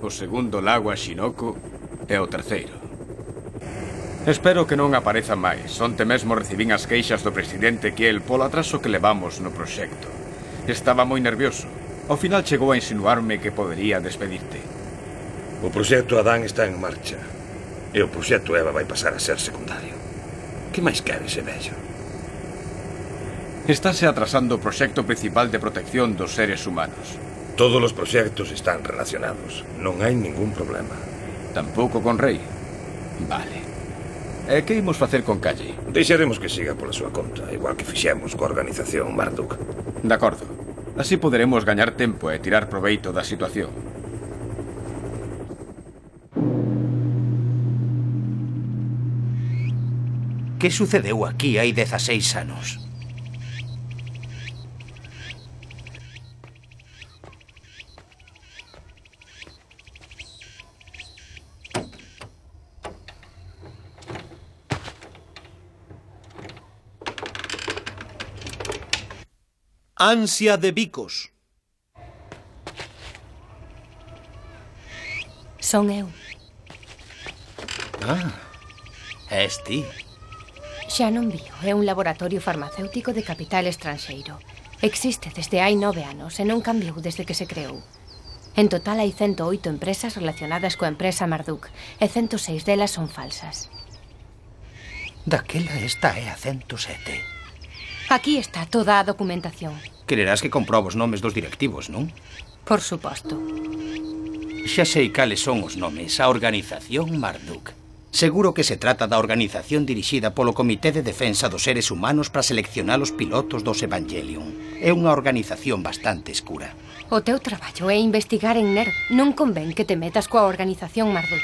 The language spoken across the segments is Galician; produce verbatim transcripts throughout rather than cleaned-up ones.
o segundo lago a Shinoko e o terceiro. Espero que non apareza máis. Onte mesmo recibín as queixas do presidente Kiel polo atraso que levamos no proxecto. Estaba moi nervioso. Ao final chegou a insinuarme que podería despedirte. O proxecto Adán está en marcha. E o proxecto Eva vai pasar a ser secundario. Que máis quere ese vello? Estáse atrasando o proxecto principal de protección dos seres humanos. Todos os proxectos están relacionados. Non hai ningún problema. Tampouco con Rei? Vale. E que imos facer con Calle? Deixaremos que siga pola súa conta, igual que fixemos coa organización Marduk. De acordo. Así poderemos gañar tempo e tirar proveito da situación. Que sucedeu aquí hai dezaseis anos? Ansia de bicos. Son eu. Ah, és ti. Xa non vío, é un laboratorio farmacéutico de capital estranxeiro. Existe desde hai nove anos e non cambiou desde que se creou. En total hai ciento oito empresas relacionadas coa empresa Marduk e ciento seis delas son falsas. Daquela esta é a ciento sete. Aquí está toda a documentación. Quererás que comprobo os nomes dos directivos, non? Por suposto. Xa sei cales son os nomes. A organización Marduk. Seguro que se trata da organización dirixida polo Comité de Defensa dos Seres Humanos para seleccionar os pilotos dos Evangelion. É unha organización bastante escura. O teu traballo é investigar en NERV. Non convén que te metas coa organización Marduk.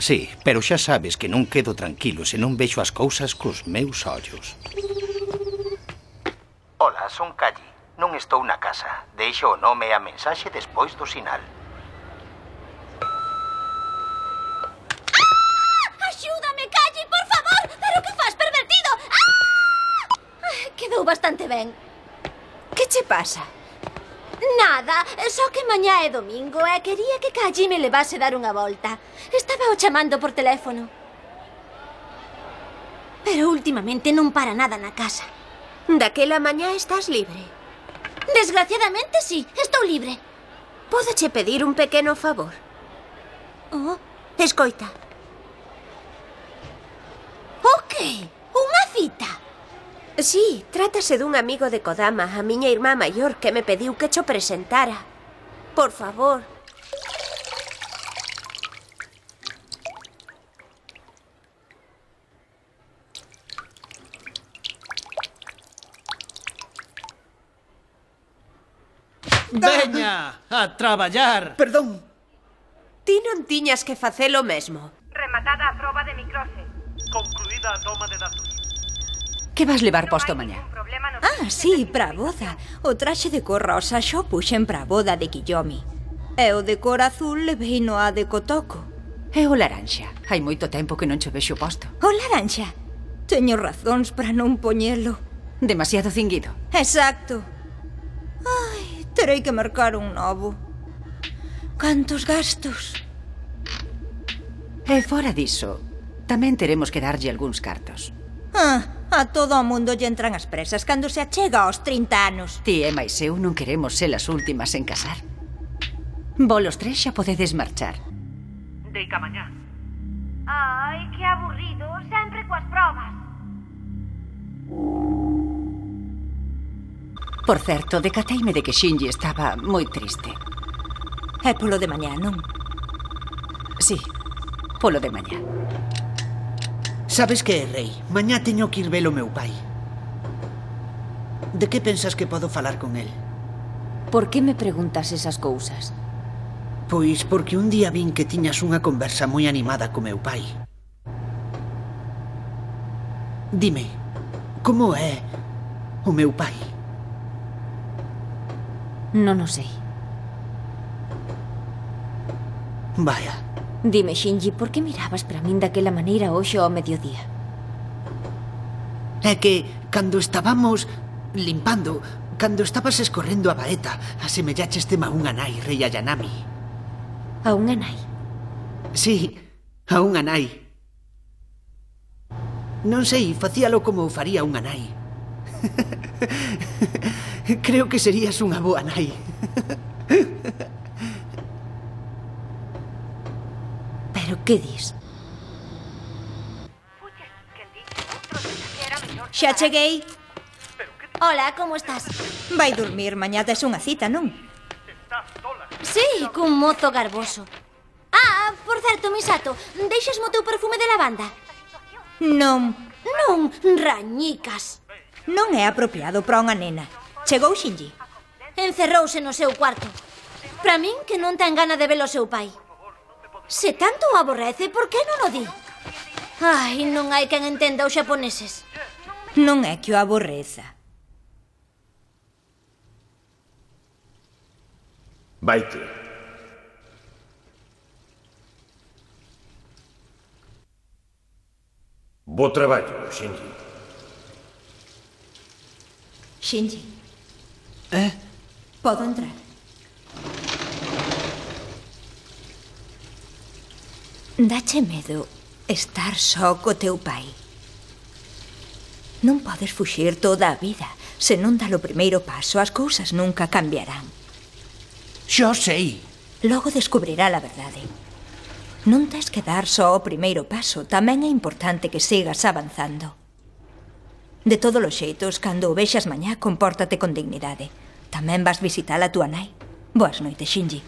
Sí, pero xa sabes que non quedo tranquilo se non vexo as cousas cos meus ollos. Ola, son Calle. Non estou na casa. Deixo o nome e a mensaxe despois do sinal. Axúdame, Calle, por favor! Pero que faz, pervertido? ¡Ah! Quedou bastante ben. Que che pasa? Nada, só que mañá é domingo e quería que Calle me levase dar unha volta. Estaba o chamando por teléfono. Pero últimamente non para nada na casa. Daquela mañá estás libre? Desgraciadamente, sí, estou libre. Pódoche pedir un pequeno favor? Oh? Escoita. O que? Unha cita? Sí, trátase dun amigo de Kodama, a miña irmá maior, que me pediu que cho presentara. Por favor. Veña, a traballar. Perdón. Ti non tiñas que facelo mesmo. Rematada a proba de microse. Concluída a toma de datos. Que vas levar posto mañá? Ah, sí, para a boda. O traxe de cor rosa xo puxen para a boda de Kiyomi. E o de cor azul levei no a de Kotoko. E o laranxa? Hai moito tempo que non cho vexo posto. O laranxa? Teño razóns para non poñelo. Demasiado cinguido. Exacto. Ai, terei que mercar un novo. Cantos gastos. E fora diso, tamén teremos que darlle algúns cartos. Ah, a todo o mundo lle entran as presas cando se achega aos trinta anos. Ti e máis eu non queremos ser as últimas en casar. Volos tres xa podedes marchar. Deica mañá. Ai, que aburrido, sempre coas probas. Por certo, decateime de que Shinji estaba moi triste. É polo de mañá, non? Sí, polo de mañá. Sabes que, Rei? Mañá teño que ir ver o meu pai. De que pensas que podo falar con el? Por que me preguntas esas cousas? Pois porque un día vin que tiñas unha conversa moi animada co meu pai. Dime, como é o meu pai? Non o sei. Vaya. Dime, Shinji, por que mirabas para min daquela maneira hoxe ao mediodía? É que, cando estábamos limpando, cando estabas escorrendo a baeta, asemellaches tema unha nai, Rei Ayanami. A unha nai. Sí, a unha nai. Non sei, facíalo como faría unha nai. Creo que serías unha boa nai. Pero que dis? Xa cheguei. Hola, como estás? Vai dormir, mañá tes unha cita, non? Sí, cun mozo garboso. Ah, por certo, Misato, deixasmo o teu perfume de lavanda? Non. Non, rañicas. Non é apropiado para unha nena. Chegou Shinji. Encerrouse no seu cuarto. Para min que non ten gana de ver o seu pai. Se tanto o aborrece, por que non o di? Ai, non hai quen entenda os xaponeses. Non é que o aborreza. Vaite. Bo traballo, Shinji. Shinji. Eh? Podo entrar? Dache medo estar só co teu pai. Non podes fuxir toda a vida. Se non dá o primeiro paso, as cousas nunca cambiarán. Xo sei. Logo descubrirá a verdade. Non tes que dar só o primeiro paso. Tamén é importante que sigas avanzando. De todos os xeitos, cando o vexas mañá, compórtate con dignidade. Tamén vas visitar a túa nai. Boas noites, Shinji.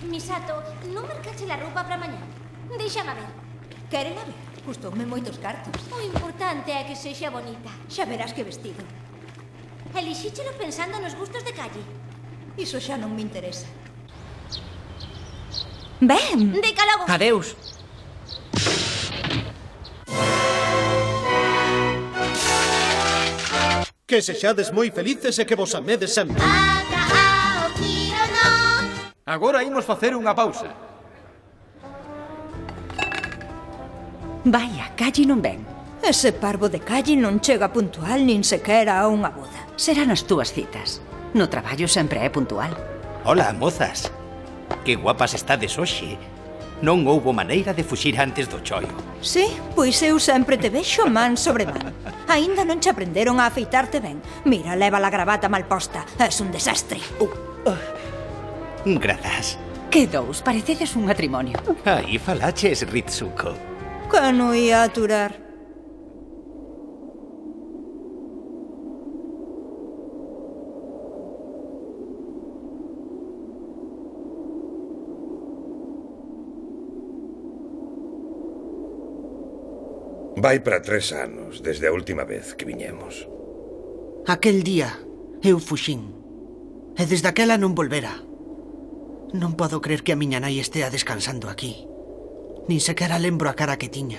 Misato, non mercache la roupa para mañá. Deixama ver. Queren a ver? Custoume moitos cartos. O importante é que sexa bonita. Xa verás que vestido. Elixíchelo pensando nos gustos de calle. Iso xa non me interesa. Ben. Decálogo. Adeus. Que sexades moi felices e que vos amedes sempre. Agora imos facer unha pausa. Vaya, Calle non ven. Ese parvo de Calle non chega puntual nin sequera a unha boda. Serán as túas citas. No traballo sempre é puntual. Hola, mozas. Que guapas estades hoxe. Non houbo maneira de fuxir antes do choio. Sí, pois eu sempre te vexo man sobre man. Aínda non che aprenderon a afeitarte ben. Mira, leva a gravata mal posta. Es un desastre. Uh, uh. Grazas. Que dous, parecedes un matrimonio. Aí falaches, Ritsuko. Que non ia aturar. Vai para tres anos desde a última vez que viñemos. Aquel día eu fuxín. E desde aquela non volvera. Non podo crer que a miña nai estea descansando aquí. Nin sequera lembro a cara que tiña.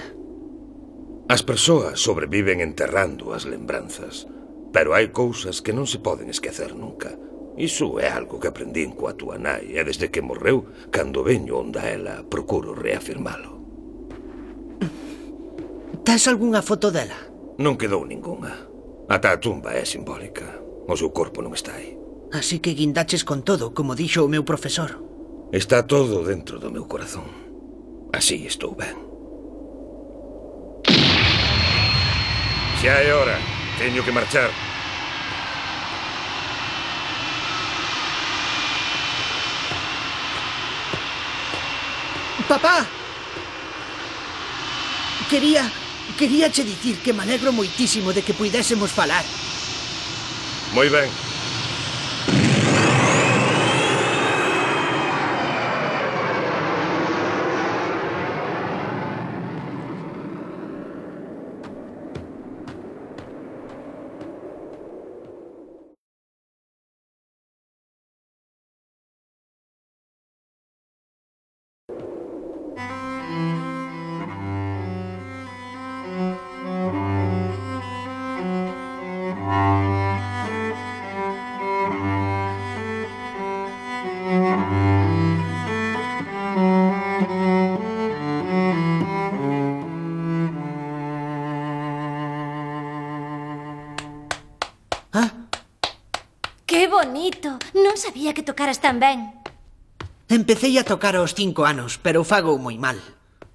As persoas sobreviven enterrando as lembranzas, pero hai cousas que non se poden esquecer nunca. Iso é algo que aprendín coa túa nai, e desde que morreu, cando veño onda ela, procuro reafirmalo. Tes algunha foto dela? Non quedou ningunha. Ata a tumba é simbólica. O seu corpo non está aí. Así que guindaches con todo, como dixo o meu profesor. Está todo dentro do meu corazón. Así estou ben. Xa é hora. Teño que marchar. Papá! Quería... Quería che dicir que me alegro moitísimo de que puidésemos falar. Moi ben. bonito. Non sabía que tocaras tan ben. Empecei a tocar aos cinco anos, pero fago moi mal.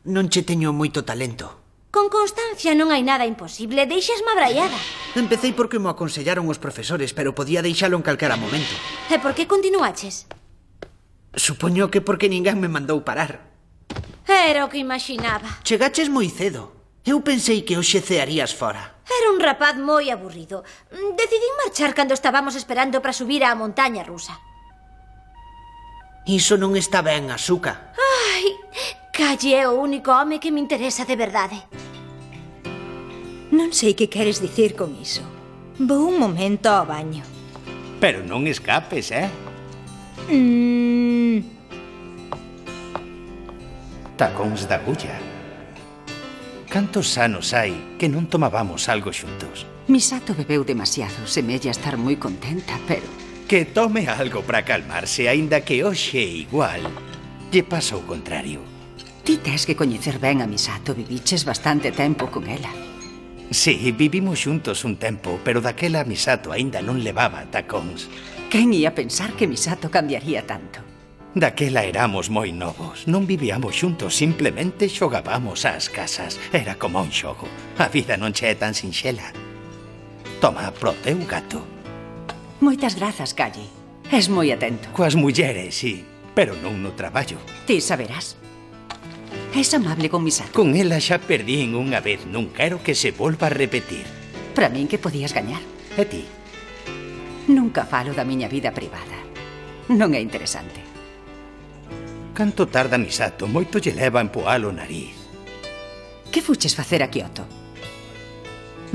Non che teño moito talento. Con constancia non hai nada imposible. Deixasme abraiada. Empecei porque mo aconsellaron os profesores, pero podía deixalo en calquera momento. E por que continuaches? Supoño que porque ninguén me mandou parar. Era o que imaginaba. Chegaches moi cedo. Eu pensei que hoxe cearías fora. Era un rapaz moi aburrido. Decidín marchar cando estábamos esperando para subir á montaña rusa. Iso non está ben, Asuka. Ai, Calle é o único home que me interesa de verdade. Non sei que queres dicir con iso. Vou un momento ao baño. Pero non escapes, eh? Mm. Tacóns da agulla. Cantos anos hai que non tomábamos algo xuntos? Misato bebeu demasiado, semella estar moi contenta, pero... Que tome algo para calmarse, aínda que hoxe igual lle pasa o contrario. Ti tes que coñecer ben a Misato, viviches bastante tempo con ela. Sí, vivimos xuntos un tempo, pero daquela Misato aínda non levaba tacóns. Quen ia pensar que Misato cambiaría tanto? Daquela éramos moi novos, non vivíamos xuntos, simplemente xogábamos ás casas. Era como un xogo. A vida non che é tan sinxela. Toma, pro teu gato. Moitas grazas, Calle. Es moi atento. Coas mulleres, sí, pero non no traballo. Ti saberás. Es amable con Misato. Con ela xa perdín unha vez, non quero que se volva a repetir. Para min que podías gañar. E ti? Nunca falo da miña vida privada. Non é interesante. Canto tarda Misato, moito lle leva a empoar o nariz. Que fuches facer a Kyoto?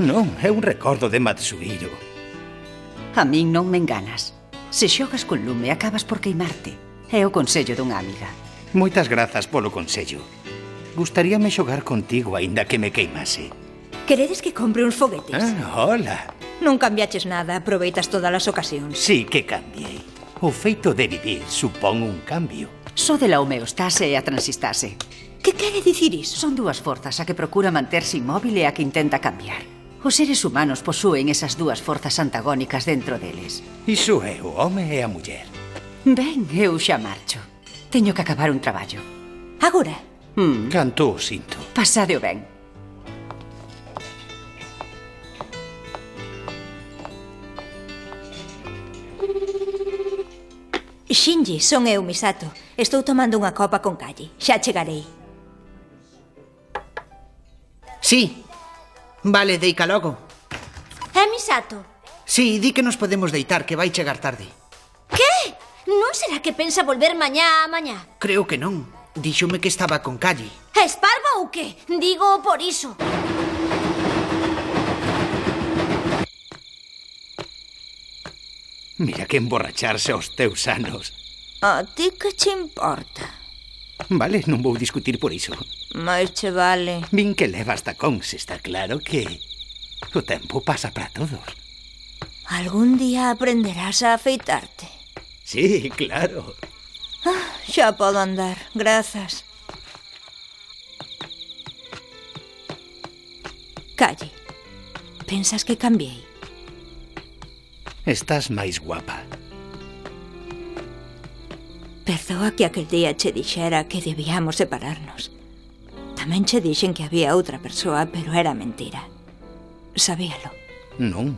Non, é un recordo de Matsuhiro. A min non me enganas. Se xogas con lume, acabas por queimarte. É o consello dunha amiga. Moitas grazas polo consello. Gustaríame xogar contigo, aínda que me queimase. Queredes que compre uns foguetes? Ah, hola. Non cambiaches nada, aproveitas todas as ocasións. Sí que cambiei. O feito de vivir supón un cambio. Só de la homeostase e a transistase. Que quere dicir iso? Son dúas forzas, a que procura manterse inmóvil e a que intenta cambiar. Os seres humanos posúen esas dúas forzas antagónicas dentro deles. Iso é o home e a muller. Ben, eu xa marcho. Teño que acabar un traballo. Agora? Mm. Canto o sinto. Pasadeo ben. Shinji, son eu, Misato. Estou tomando unha copa con Calle. Xa chegarei. Sí. Vale, deica logo. É Misato? Sí, di que nos podemos deitar, que vai chegar tarde. Que? Non será que pensa volver mañá a mañá? Creo que non. Díxome que estaba con Calle. Es parva ou que? Digo por iso. Mira que emborracharse aos teus anos. A ti que che importa? Vale, non vou discutir por iso. Mais che vale. Vin que levas tacóns, está claro que o tempo pasa para todos. Algún día aprenderás a afeitarte. Sí, claro. Ah, xa podo andar, grazas. Calle, pensas que cambiei? Estás máis guapa. Perdoa que aquel día che dixera que debíamos separarnos. Tamén che dixen que había outra persoa, pero era mentira. Sabíalo. Non.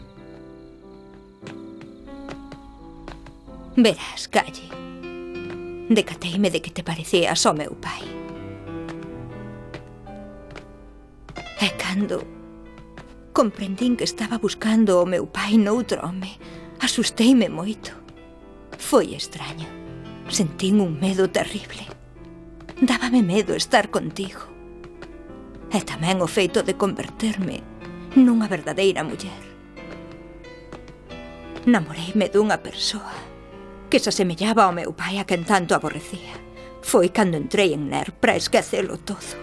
Verás, Calle. Decateime de que te parecías ao meu pai. E cando comprendín que estaba buscando o meu pai noutro home, asusteime moito. Foi extraño. Sentín un medo terrible. Dábame medo estar contigo. E tamén o feito de converterme nunha verdadeira muller. Namoreime dunha persoa que se asemellaba ao meu pai, a quen tanto aborrecía. Foi cando entrei en N E R para esquecelo todo.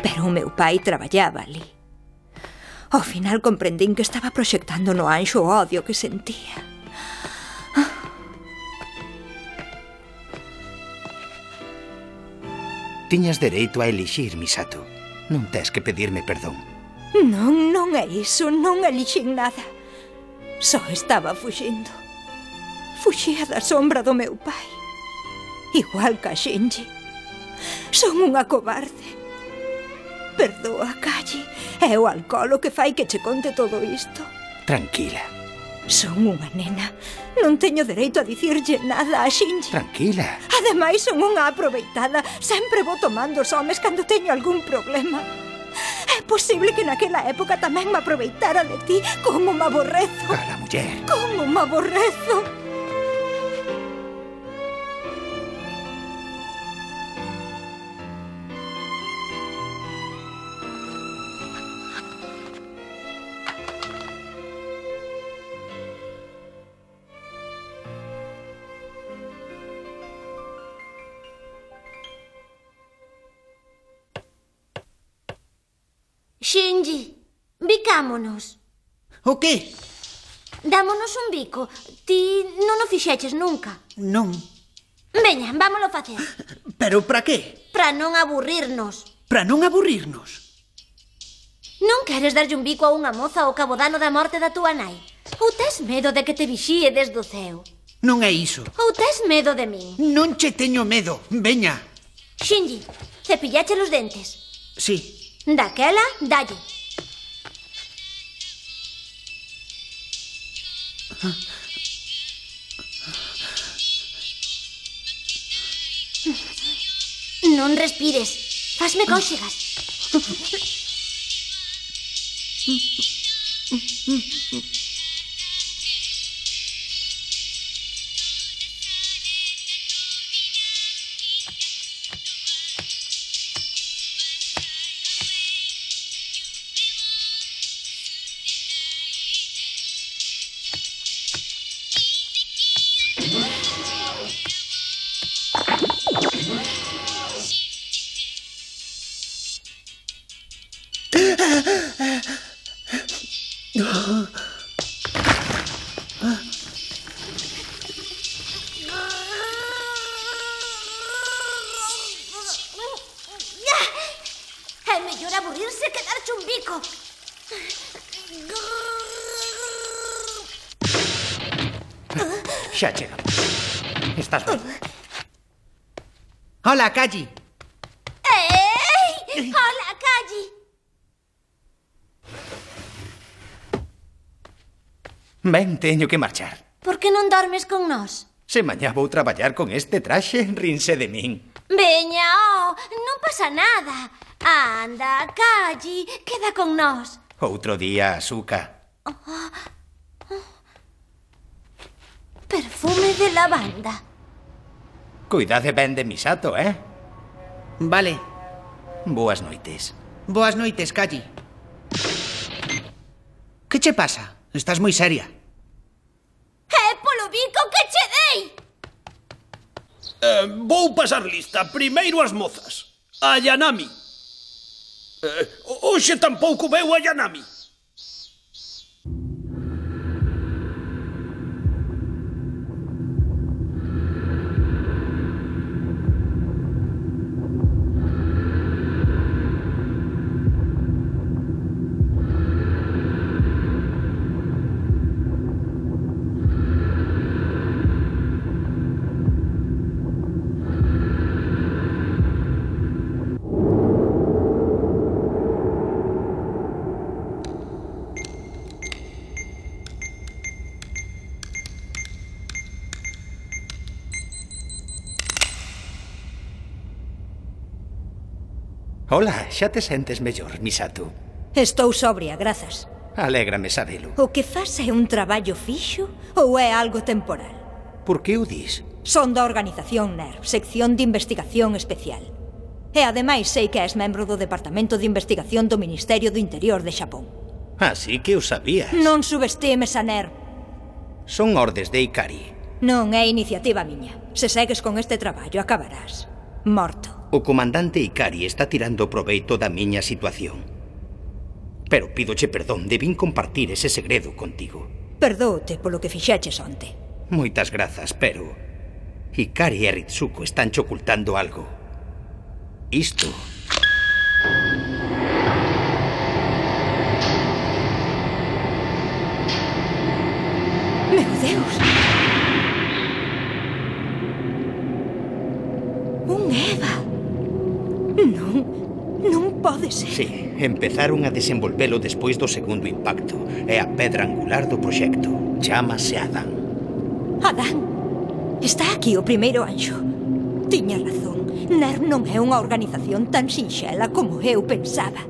Pero o meu pai traballaba ali. Ao final comprendín que estaba proxectando no anxo o odio que sentía. Tiñas dereito a elixir, Misato. Non tes que pedirme perdón. Non, non é iso, non elixín nada. Só estaba fuxindo. Fuxía da sombra do meu pai. Igual que a Shinji. Son unha cobarde. Perdoa, Kaji. É o alcohol o que fai que che conte todo isto. Tranquila. Son unha nena. Non teño dereito a dicirlle nada a Shinji. Tranquila. Ademais, son unha aproveitada. Sempre vou tomando os homes cando teño algún problema. É posible que naquela época tamén me aproveitara de ti. Como me aborrezo. Cala, muller. Como me aborrezo. Shinji, bicámonos. O que? Dámonos un bico. Ti non o fixeches nunca. Non. Veña, vámolo facer. Pero para que? Para non aburrirnos. Para non aburrirnos? Non queres darlle un bico a unha moza ao cabodano da morte da túa nai? Ou tes medo de que te vixíe desde o ceo? Non é iso. Ou tes medo de min? Non che teño medo. Veña. Shinji, cepillache os dentes. Sí. Daquela, dalle. Non respires. Fasme cóxegas. É mellor aburrirse que darche un bico. Xa chegamos. Estás ben? Hola, Kaji. Ei! Hola, Kaji. Ben, teño que marchar. Por que non dormes con nós? Se mañá vou traballar con este traxe, rinse de min. Veña, oh, non pasa nada. Anda, Kaji, queda con nós. Outro día, Asuka. Oh. Perfume de lavanda. Cuidade ben de Misato, eh? Vale. Boas noites. Boas noites, Kaji. Que che pasa? Estás moi seria. É polo bico que che dei! Eh, vou pasar lista. Primeiro as mozas. A Yanami. Eh, hoxe tampouco veu a Yanami. Hola, xa te sentes mellor, Misato? Estou sobria, grazas. Alégrame sabelo. O que faz é un traballo fixo ou é algo temporal? Por que o dis? Son da organización N E R V, sección de investigación especial. E ademais sei que és membro do Departamento de Investigación do Ministerio do Interior de Xapón. Así que o sabías. Non subestimes a N E R V. Son ordes de Ikari. Non é iniciativa miña. Se segues con este traballo, acabarás morto. O comandante Ikari está tirando proveito da miña situación. Pero pídoche perdón, debín compartir ese segredo contigo. Perdóote polo que fixeches onte. Moitas grazas, pero Ikari e Ritsuko están che ocultando algo. Isto... Meu Deus! pode ser. Sí, empezaron a desenvolvelo despois do segundo impacto. É a pedra angular do proxecto. Chámase Adán. Adán, está aquí o primeiro anxo. Tiña razón. N E R non é unha organización tan sinxela como eu pensaba.